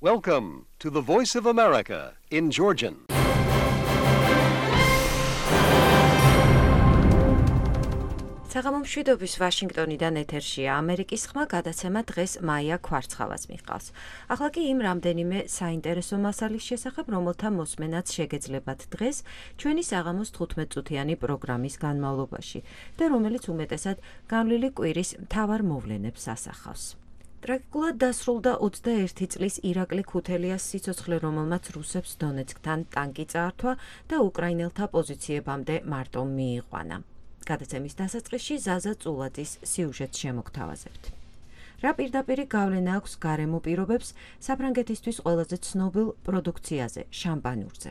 Welcome to the Voice of America in Georgian. საღამომშვიდობის ვაშინგტონიდან ეთერშია ამერიკის ხმა გადაცემა დღეს მაია ქვარცხავას მიჰყავს. ახლა კი იმ რამდენიმე საინტერესო მასალის შესახებ, რომელთა მოსმენაც შეგეძლებათ დღეს ჩვენი საღამოს 15 წუთიანი პროგრამის განმავლობაში და რომელიც უმეტესად განვლილი კვირის მთავარ მოვლენებს ასახავს. ტრაგიკულად დასრულდა 21 წლის ირაკლი ქუთელიას სიცოცხლე, რომელმაც რუსებს დონეცკთან ტანკი წაართვა და უკრაინელთა პოზიციებამდე მარტო მიიყვანა. გადაცემის დასაწყისში ზაზა წულაძის სიუჟეტს შემოგთავაზებთ. რა პირდაპირი გავლენა აქვს გარემო პირობებს საფრანგეთისთვის ყველაზე ცნობილ პროდუქციაზე, შამპანურზე.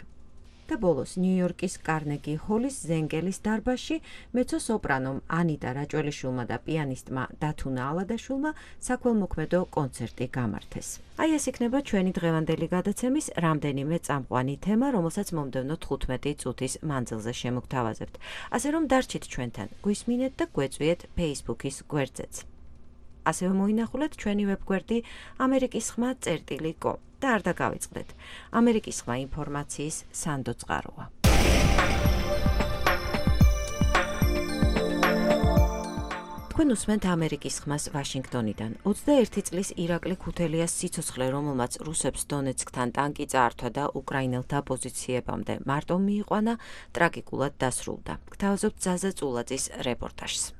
და ბოლოს ნიუ-იორკის კარნეგი ჰოლის ზენგელის დარბაზში მეცო-სოპრანომ ანიტა რაჭველიშვილმა და პიანისტმა დათუნა ალადაშვილმა საქველმოქმედო კონცერტი გამართეს. აი ეს იქნება ჩვენი დღევანდელი გადაცემის რამდენიმე წამყვანი თემა, რომელსაც მომდევნო 15 წუთის მანძილზე შემოგთავაზებთ. ასე რომ დარჩით ჩვენთან, გვისმინეთ და გვეწვიეთ Facebook-ის გვერდზეც. ასევე მოინახულეთ ჩვენი ვებგვერდი amerikisxma.com და არ დაგავიწყდეთ. ამერიკის ხმა ინფორმაციის სანდო წყაროა. თქვენ უსმენთ ამერიკის ხმას ვაშინგტონიდან. 21 წლის ირაკლი ქუთელიას სიცოცხლე, რომელმაც რუსებს დონეცკთან ტანკი წაართვა და უკრაინელთა პოზიციებამდე მარტო მიიყვანა, ტრაგიკულად დასრულდა. გთავაზობთ ზაზა წულაძის რეპორტაჟს.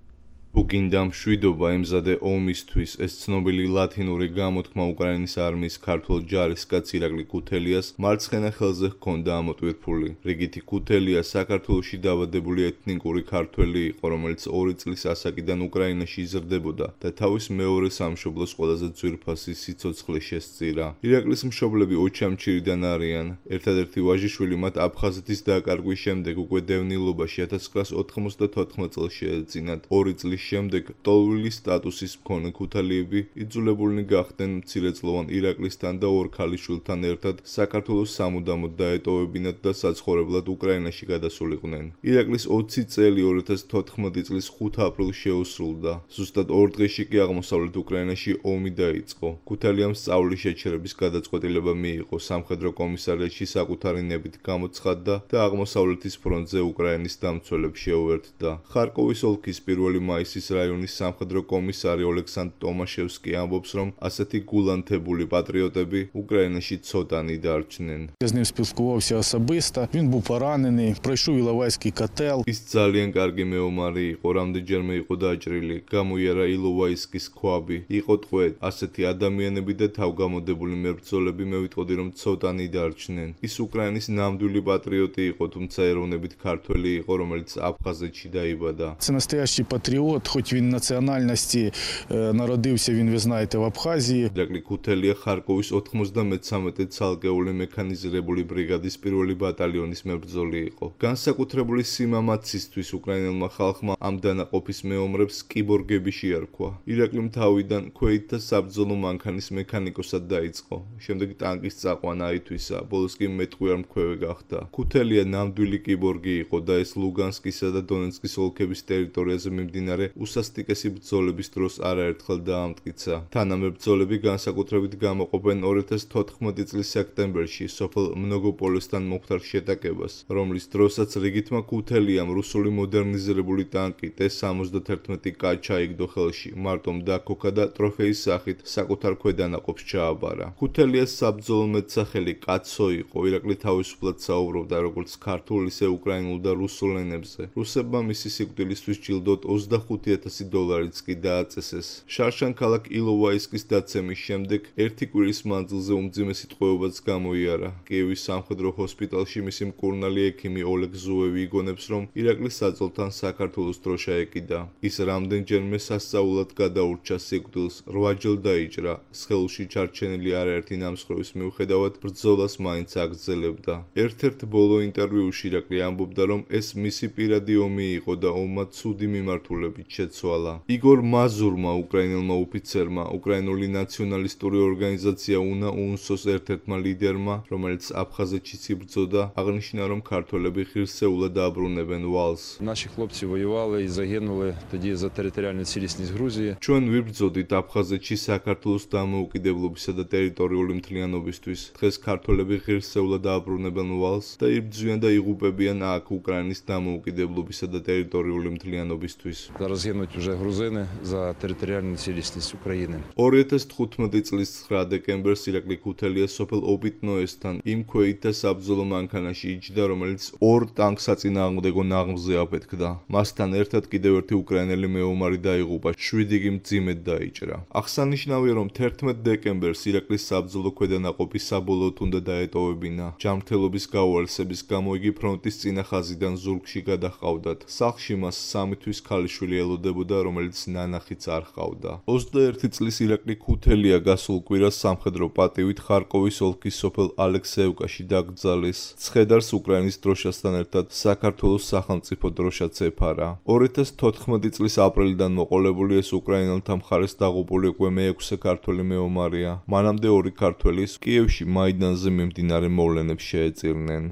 უკინდა მშვიდობა ემზადე ომისთვის. ეს ცნობილი ლათინური გამოთქმა უკრაინის არმიის ქართულ ჯარისკაც ირაკლი ქუთელიას მარცხენა ხელზე ჰქონდა ამოტვირთული. რიგითი ქუთელია საქართველოში დაბადებული ეთნიკური ქართველი იყო, რომელიც 2 წლის ასაკიდან უკრაინაში იზრდებოდა და თავის მეორე სამშობლოს ყველაზე ძვირფასი სიცოცხლე შესწირა. ირაკლის მშობლები ოჩამჩირიდან არიან. ერთადერთი ვაჟიშვილი მათ აფხაზეთის დაკარგვის შემდეგ უკვე დევნილობაში 1994 წელს შეეძინათ. 2 წლის შემდეგ ტოლვილი სტატუსის მქონე ქუთალიები იძულებულნი გახდნენ მცირეწლოვან ირაკლისთან და 2 ქალიშვილთან ერთად საქართველოს სამუდამოდ დაეტოვებინათ და საცხოვრებლად უკრაინაში გადასულიყვნენ. ირაკლის 20 წელი 2014 წლის 5 აპრილს შეუსრულდა. ზუსტად 2 დღეში კი აღმოსავლეთ უკრაინაში ომი დაიწყო. ქუთალიამ სწავლის შეჩერების გადაწყვეტილება მიიღო, სამხედრო კომისარიატში საკუთარი ნებით გამოცხადდა და აღმოსავლეთის ფრონტზე უკრაინის დამცველებს შეუერთდა. ხარკოვის ოლქის 1 მაისის რაიონის სამხედრო კომისარი ოლექსანდრ ტომაშევსკი ამბობს, რომ ასეთი გულანთებული პატრიოტები უკრაინაში ცოტანი დარჩნენ. З ним спілкувався особисто. Він був поранений, пройшов іловайський котел. ის ძალიან კარგი მეომარი იყო, რამდენჯერმე იყო დაჭრილი, გამოიარა ილოვაისკის ქვაბი, იყო ტყვე. ასეთი ადამიანები და თავგამოდებული მებრძოლები მე ვიტყოდი, რომ ცოტანი дарჩნენ. ის უკრაინის ნამდვილი პატრიოტი იყო, თუმცა ეროვნებით ქართველი იყო, რომელიც აფხაზეთში დაიბადა. Це настоящий патріот, хоч він національності народився, він, ви знаєте, в Абхазії. ირაკლი ქუთელია ხარკოვის 93 ცალკეული მექანიზირებული ბრიგადის 1 ბატალიონის მებრძოლი იყო. განსაკუთრებული სიმამაცისთვის უკრაინელმა ხალხმა ამ დანაყოფის მეომრებს კიბორგები შეარქვა. ირაკლიმ თავიდან ქვეითთა საბრძოლო მანქანის მექანიკოსად დაიწყო. შემდეგ ტანკის წაყვანა აითვისა, ბოლოს კი მეტყვიარმქვევი გახდა. ქუთელია ნამდვილი კიბორგი იყო და ეს ლუგანსკისა და დონეცკის ოლქების ტერიტორიაზე მიმდინარე უსასტიკესი ბრძოლების დროს არაერთხელ დაამტკიცა. თანამებრძოლები განსაკუთრებით გამოყოფენ 2014 წლის სექტემბერში სოფელ mnogopolesთან მომხდარ შეტაკებას, რომლის დროსაც რიგითმა ქუთელიამ რუსული მოდერნიზირებული ტანკი T-71 კა ჩაიგდო ხელში, მარტომ დაქოქა და ტროფეის სახით საკუთარ ქვედანაყოფს ჩააბარა. ქუთელიას საბრძოლო მეტსახელი კაცო იყო. ირაკლი თავისუფლად საუბრობდა როგორც ქართულ, ისე უკრაინულ და რუსულ ენებზე. რუსებმა მისი სიკვდილისთვის ჯილდოდ $25,000 კი დააწესეს. შარშან ქალაქ ილოვაისკის დაცემის შემდეგ 1 კვირის მანძილზე უმძიმესი ტყვეობაც გამოიარა. კიევის სამხედრო ჰოსპიტალში მისი მკურნალი ექიმი ოლეგ ზუევი იგონებს, რომ ირაკლის საძოლთან საქართველოს დროშა ეკიდა. ის რამდენჯერმე სასწაულად გადაურჩა სიკვდილს, 8 ჯერ დაიჭრა. სხეულში ჩარჩენილი არაერთი ნამსხვრევის მიუხედავად ბრძოლას მაინც აგრძელებდა. ერთ-ერთ ბოლო ინტერვიუში ირაკლი ამბობდა, რომ ეს მისი პირადი ომი იყო და ომმა ცუდი მიმართულებით შეცვალა. იგორ მაზურმა, უკრაინელმა ოფიცერმა, უკრაინული ნაციონალისტური ორგანიზაცია UNSO-ს ერთ-ერთმა ლიდერმა, რომელიც აფხაზეთშიც იბრძოდა, აღნიშნა, რომ ქართველები ღირსეულად დააბრუნებენ ვალს. Наші хлопці воювали і загинули тоді за територіальну цілісність Грузії. ჩვენ ვიბრძოდით აფხაზეთში საქართველოს დამოუკიდებლობისა და ტერიტორიული მთლიანობისთვის. დღეს ქართველები ღირსეულად დააბრუნებენ ვალს და იბრძვიან და იღუპებიან აქ უკრაინის დამოუკიდებლობისა და ტერიტორიული მთლიანობისთვის. Зараз гинуть вже грузини за територіальну цілісність України. 2015 წლის 9 დეკემბერს ირაკლი ქუთელია სოფელ ობიტნოესთან იმ ქვეით და საბრძოლო მანქანაში იჯდა, რომელიც 2 ტანკს საწინააღმდეგო ნაღმზე აფეთქდა. მასთან ერთად კიდევ ერთი უკრაინელი მეომარი დაიღუპა, 7 კი მძიმედ დაიჭრა. აღსანიშნავია, რომ 11 დეკემბერს ირაკლის საბრძოლო ქვედანაყოფი საბოლოოდ უნდა დაეტოვებინა. ჯანმრთელობის გაუარესების გამო იგი ფრონტის წინა ხაზიდან ზურგში გადაჰყავდათ. სახლში მას 3 თვის ქალიშვილი ელოდებოდა, რომელიც ნანახიც არ ჰყავდა. 21 წლის ირაკლი ქუთელია გასულ კვირას სამხედრო პატივით ხარკოვის ოლქის სოფელ ალექსეევკაში დაკრძალეს. ცხედარს უკრაინის დროშასთან ერთად საქართველოს სახელმწიფო დროშაც ეფარა. 2014 წლის აპრილიდან მოყოლებული ეს უკრაინელთა მხარეს დაღუპული უკვე მე-6 ქართველი მეომარია. მანამდე 2 ქართველი კიევში მაიდანზე მიმდინარე მოვლენებს შეეწირნენ.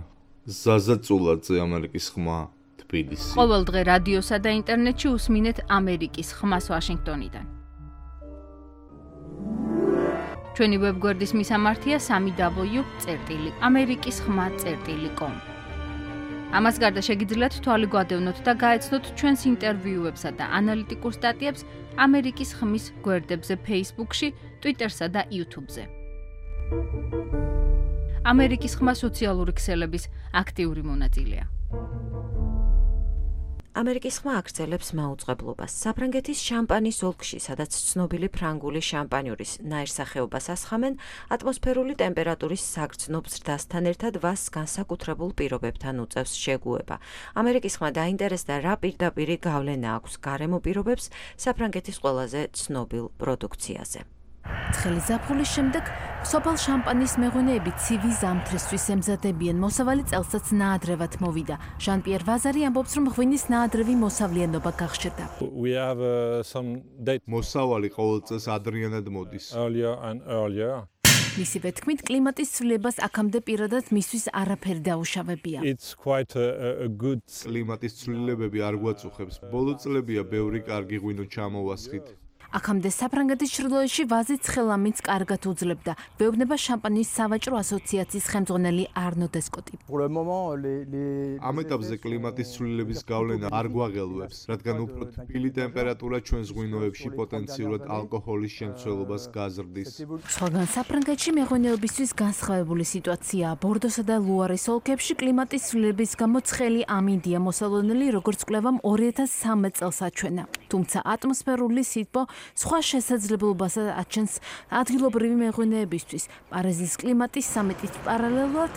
ზაზა წულაძე, ამერიკის ხმა, თბილისი. ყოველ დღე რადიოსა და ინტერნეტში უსმინეთ ამერიკის ხმას ვაშინგტონიდან. ჩვენი ვებგვერდის მისამართია www.amerikiskhma.com. ამას გარდა შეგიძლიათ თვალი გვადევნოთ და გაეცნოთ ჩვენს ინტერვიუებსა და ანალიტიკურ სტატიებს ამერიკის ხმის გვერდებზე Facebook-ში, Twitter-სა და YouTube-ზე. ამერიკის ხმა სოციალური ქსელების აქტიური მონაწილეა. ამერიკის ხმა აგრძელებს მაუწყებლობას. საფრანგეთის შამპანის ოლქში, სადაც ცნობილი ფრანგული შამპანიურის ნაირსახეობას ასხამენ, ატმოსფერული ტემპერატურის საგრძნობ ზრდასთან ერთად ვასს განსაკუთრებულ პირობებთან უწევს შეგუება. ამერიკის ხმა დაინტერესდა, რა პირდაპირი გავლენა აქვს გარემო პირობებს საფრანგეთის ყველაზე ცნობილ პროდუქციაზე. ცხელი ზაფხულის შემდეგ სოფელ შამპანის მეღვინეები ცივი ზამთრისთვის ემზადებიან. მოსავალი წელსაც ნაადრევად მოვიდა. ჟან-პიერ ვაზარი ამბობს, რომ ღვინის ნაადრევი მოსავლიანობა გახშირდა. We have some date მოსავალი ყოველ წელს ადრიანად მოდის. earlier and earlier. მისივე თქმით, კლიმატის ცვლილებას აქამდე პირადად მისთვის არაფერი დაუშავებია. It's quite a good კლიმატის ცვლილებები არ გვაწუხებს. ბოლო წლებია ბევრი კარგი ღვინო ჩამოვასხით. აქამდე საფრანგეთის ჩრდილოეთში ვაზი ცხელამიც კარგად უძლებდა. ვეუბნება შამპანის სავაჭრო ასოციაციის ხელმძღვანელი არნო დესკოტი. ამ ეტაპზე კლიმატის ცვლილების გავლენა არ გვაღელვებს, რადგან უფრო თბილი ტემპერატურა ჩვენს ღვინოებში პოტენციურად ალკოჰოლის შემცველობას გაზრდის. სხვაგან საფრანგეთში მეღვინეობისთვის განსხვავებული სიტუაციაა. ბორდოსა და ლუარის ოლქებში კლიმატის ცვლილების გამო ცხელი ამინდია მოსალოდნელი, როგორც კვლევამ 2013 წელს აჩვენა. თუმცა ატმოსფერული სითბო სხვა შესაძლებლობას აჩენს ადგილობრივი მეღვინეებისთვის. პარიზის კლიმატის სამეტით პარალელურად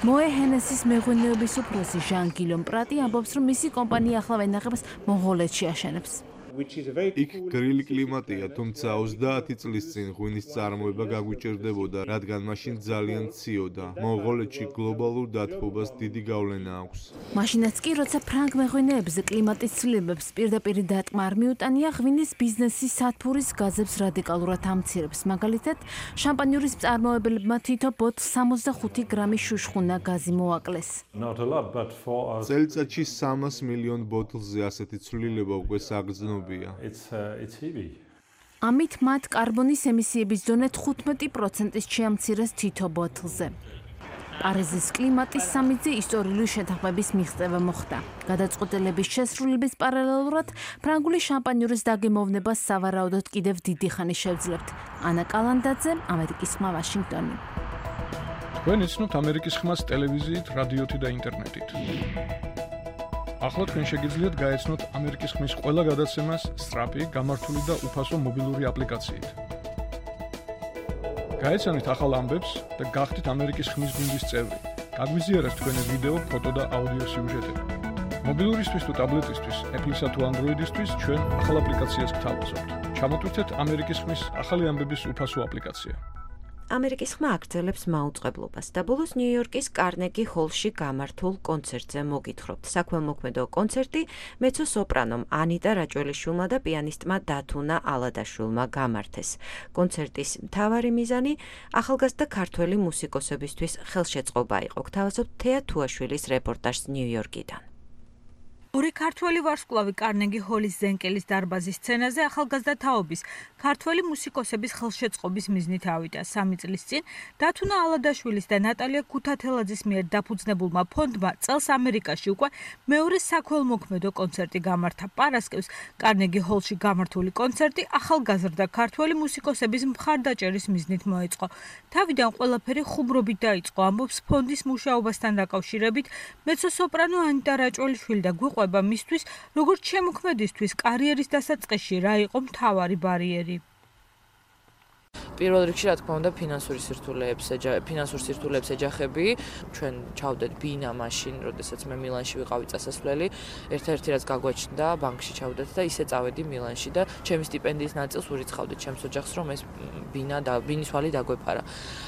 მოე ჰენესის მეღვინეობის უფროსი ჟან გილომ პრატი ამბობს, რომ მისი კომპანია ახლა ვენახებს მონღოლეთში აშენებს. იქ გრილი კლიმატია, თუმცა 30 წლის წინ ღვინის წარმოება გაგვიჭირდებოდა, რადგან მაშინ ძალიან ციოდა. მონღოლეთში გლობალურ დათბობას დიდი გავლენა აქვს. მაშინაც კი, როცა ფრანგ მეღვინეებზე კლიმატის ცვლილებებს პირდაპირ დატმა არ მიუტანია, ღვინის ბიზნესი სათბურის გაზებს რადიკალურად ამცირებს. მაგალითად, შამპანიურის მწარმოებელებმა თითო ბოთლს 65 გრამი შუშხუნა გაზი მოაკლეს. not a lot, but for us წელიწადში 300 მილიონ ბოთლზე ასეთი ცვლილება უკვე საგრძნობია. it's heavy. ამით მათ კარბონის ემისიების დონე 15%-ით შეამცირეს თითო ბოთლზე. პარიზის კლიმატის სამიტზე ისტორიული შეთანხმების მიღწევა მოხდა. გადაწყვეტილების შესრულების პარალელურად ფრანგული შამპანიურის დაგემოვნებას სავარაუდოდ კიდევ დიდი ხანი შევძლებთ. ანა კალანდაძე, ამერიკის ხმა, ვაშინგტონი. თქვენ იცნობთ ამერიკის ხმას ტელევიზიით, რადიოთი და ინტერნეტით. ახლა თქვენ შეგიძლიათ გაეცნოთ ამერიკის ხმის ყველა გადაცემას სწრაფი, გამართული და უფასო მობილური აპლიკაციით. გაეცანით ახალ ამბებს და გახდით ამერიკის ხმის გუნდის წევრი. გაგვიზიარეთ თქვენი ვიდეო, ფოტო და აუდიო სიუჟეტები. მობილურისთვის თუ ტაბლეტისთვის, Apple-სა თუ Android-ისთვის ჩვენ ახალ აპლიკაციას გთავაზობთ. ჩამოტვირთეთ ამერიკის ხმის ახალი ამბების უფასო აპლიკაცია. ამერიკის ხმა აგრძელებს მაუწყებლობას და ბოლოს ნიუ-იორკის კარნეგი ჰოლში გამართულ კონცერტზე მოგითხრობთ. საქველმოქმედო კონცერტი მეცო-სოპრანომ ანიტა რაჭველიშვილმა და პიანისტმა დათუნა ალადაშვილმა გამართეს. კონცერტის მთავარი მიზანი ახალგაზრდა ქართველი მუსიკოსებისთვის ხელშეწყობა იყო. გთავაზობთ თეა თუაშვილის რეპორტაჟს ნიუ-იორკიდან. ორი ქართველი ვარსკვლავი კარნეგი ჰოლის ზენკელის დარბაზის სცენაზე ახალგაზრდა თაობის ქართველი მუსიკოსების ხელშეწყობის მიზნით ავიდა. 3 წლის წინ დათუნა ალადაშვილის და ნატალია ქუთათელაძის მიერ დაფუძნებულმა ფონდმა წელს ამერიკაში უკვე მეორე საქველმოქმედო კონცერტი გამართა. პარასკევს კარნეგი ჰოლში გამართული კონცერტი ახალგაზრდა ქართველი მუსიკოსების მხარდაჭერის მიზნით მოეწყო. თავიდან ყველაფერი ხუმრობით დაიწყო, ამბობს ფონდის მუშაობასთან დაკავშირებით მეცო-სოპრანო ანიტა რაჭველიშვილი და გვიყვება მისთვის, როგორც შემოქმედისთვის კარიერის დასაწყისში რა იყო მთავარი ბარიერი. პირველ რიგში, რა თქმა უნდა, ფინანსურ სირთულეებს ეჯახები. ჩვენ ჩავდეთ ბინა მაშინ, როდესაც მე მილანში ვიყავი წასასვლელი, ერთ-ერთი რაც გაგვაჩნდა, ბანკში ჩავდეთ და ისე წავედი მილანში და ჩემი სტიპენდიის ნაწილს ურიცხავდით ჩემს ოჯახს, რომ ეს ბინის ვალი დაგვეფარა.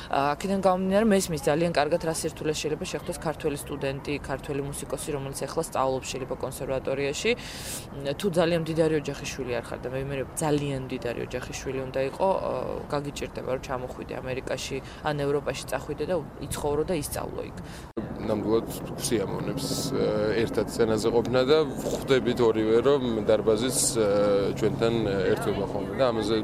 აქედან გამომდინარე, მესმის ძალიან კარგად რა სირთულეს შეიძლება შეხვდეს ქართველი სტუდენტი, ქართველი მუსიკოსი, რომელიც ახლა სწავლობს შეიძლება კონსერვატორიაში. თუ ძალიან მდიდარი ოჯახის შვილი არ ხარ და მე ვიმეორებ ძალიან მდიდარი ოჯახის შვილი უნდა იყო, გაგიჭირდება რომ ჩამოხვიდე ამერიკაში ან ევროპაში წახვიდე და იცხოვრო და ისწავლო იქ. ნამდვილად ვსიამოვნებს ერთად სცენაზე ყოფნა და ხვდებით ორივე რომ დარბაზის ჩვენთან ერთვება ხოლმე და ამაზე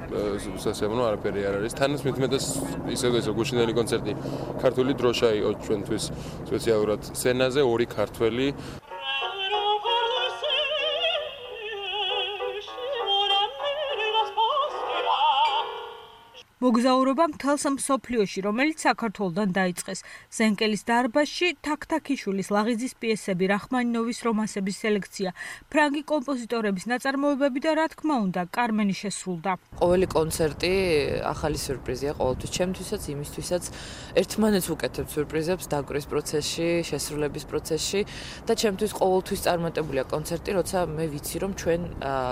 სასიამოვნო არაფერი არ არის. თანაც მithumetas ისე გუჩინელი კონცერტი ქართული დროშა იყო ჩვენთვის სპეციალურად სცენაზე ორი ქართველი მოგზაურობა მთელს მსოფლიოში, რომელიც საქართველოდან დაიწყეს. ზენკელის დარბაზში თაქთაქიშვილის ლაღიძის პიესები, რახმანინოვის რომანსების სელექცია, ფრანგი კომპოზიტორების ნაწარმოებები და რა თქმა უნდა, კარმენი შესრულდა. ყოველი კონცერტი ახალი სიურპრიზია ყოველთვის, ჩემთვისაც, იმისთვისაც ერთმანეთს უკეთებ სიურპრიზებს დაკვრის პროცესში, შესრულების პროცესში და ჩემთვის ყოველთვის წარმატებულია კონცერტი, როცა მე ვიცი, რომ ჩვენ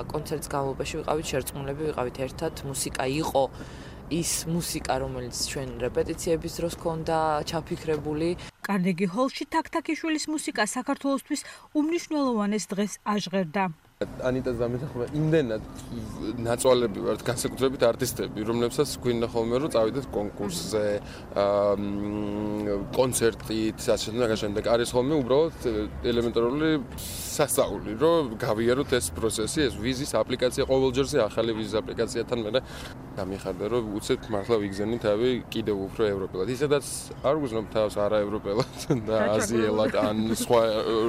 კონცერტის განმავლობაში ვიყავით შერწყმულები, ვიყავით ერთად, მუსიკა იყო ის მუსიკა, რომელიც ჩვენ რეპეტიციების დროს ქონდა ჩაფიქრებული. კარნეგი ჰოლში თაქთაქიშვილის მუსიკა საქართველოსთვის უმნიშვნელოვანეს დღეს აჟღერდა. ანიტას დამეთახმა იმდენად ნაწვალები ვართ განსაკუთრებით არტისტები, რომლებსაც გვინდა ხოლმე რომ წავიდეთ კონკურსზე, კონცერტით, და არის ხოლმე უბრალოდ ელემენტარული სასწაული, რომ გავიაროთ ეს პროცესი, ეს ვიზის აპლიკაცია, ყოველჯერზე ახალი ვიზის აპლიკაციათან მე დამიხარდა, რომ უცებ მართლა ვიგზენი თავი კიდევ უფრო ევროპელად. ისედაც არ ვგზნობ თავს არაევროპელად და აზიელად ან სხვა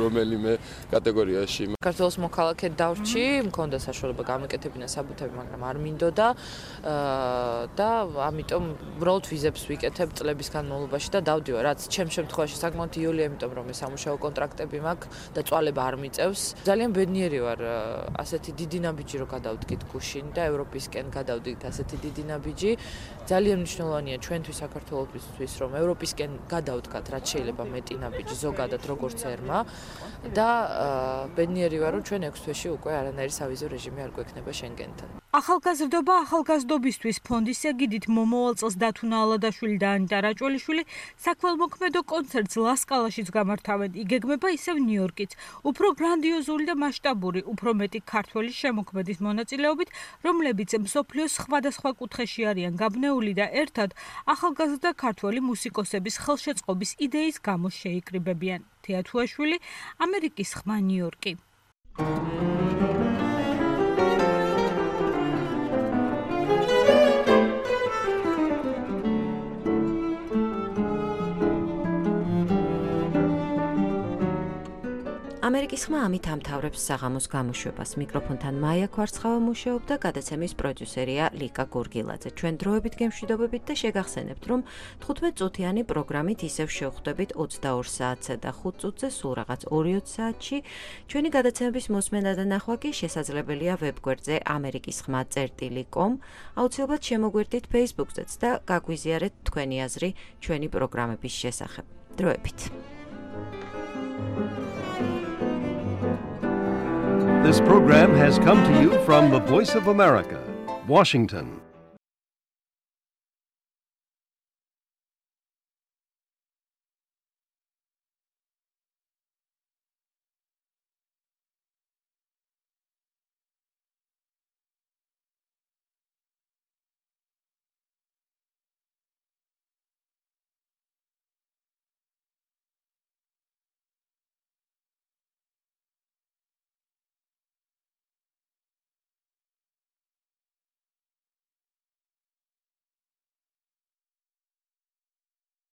რომელიმე კატეგორიაში. საქართველოს მოქალაქე დავრჩი, მქონდა საშუალება გამეკეთებინა საბუთები, მაგრამ არ მინდოდა და ამიტომ უბრალოდ ვიზებს ვიკეთებ წლების განმავლობაში და დავდივარ, რაც ჩემს შემთხვევაში საკმაოდ იოლია, იმიტომ რომ მე სამუშაო კონტრაქტები მაქვს და წვალება არ მიწევს. ძალიან ბედნიერი ვარ, ასეთი დიდი ნაბიჯი რო გადავდგით გუშინ და ევროპისკენ გადავდგით ასეთი დიდი ნაბიჯი. ძალიან მნიშვნელოვანია ჩვენთვის საქართველოსთვის, რომ ევროპისკენ გადავდგათ, რაც შეიძლება მეტი ნაბიჯი ზოგადად როგორც ერმა და ბედნიერი ვარ, რომ ჩვენ 6 თვეში უკვე არანაირი სავიზო რეჟიმი არ გვექნება შენგენთან. ახალგაზრდობა ახალგაზრდობისთვის ფონდის ეგიდით მომავალ წელს დათუნა ალადაშვილი და ანიტა რაჭველიშვილი საქველმოქმედო კონცერტს ლასკალაშიც გამართავენ. იგეგმება ისევ ნიუ-იორკიც. უფრო გრანდიოზული და მასშტაბური, უფრო მეტი ქართველი შემოქმედის მონაწილეობით, რომლებიც მსოფლიოს სხვადასხვა კუთხეში არიან გაბნეული და ერთად ახალგაზრდა ქართველი მუსიკოსების ხელშეწყობის იდეის გამო შეიკრიბებიან. თეა თუაშვილი, ამერიკის ხმა, ნიუ-იორკი. ამერიკის ხმა ამით ამთავრებს საღამოს გამოშვებას. მიკროფონთან მაია ქვარცხავა მუშაობდა, გადაცემის პროდიუსერია ლიკა გურგილაძე. ჩვენ დროებით გემშვიდობებით და შეგახსენებთ, რომ 15 წუთიანი პროგრამით ისევ შევხვდებით 22 საათსა და 5 წუთზე, სულ რაღაც 2-20 საათში. ჩვენი გადაცემების მოსმენა და ნახვა კი შესაძლებელია ვებგვერდზე amerikiskhma.com. აუცილებლად შემოგვერდით Facebook-ზეც და გაგვიზიარეთ თქვენი აზრი ჩვენი პროგრამების შესახებ. დროებით. This program has come to you from the Voice of America, Washington.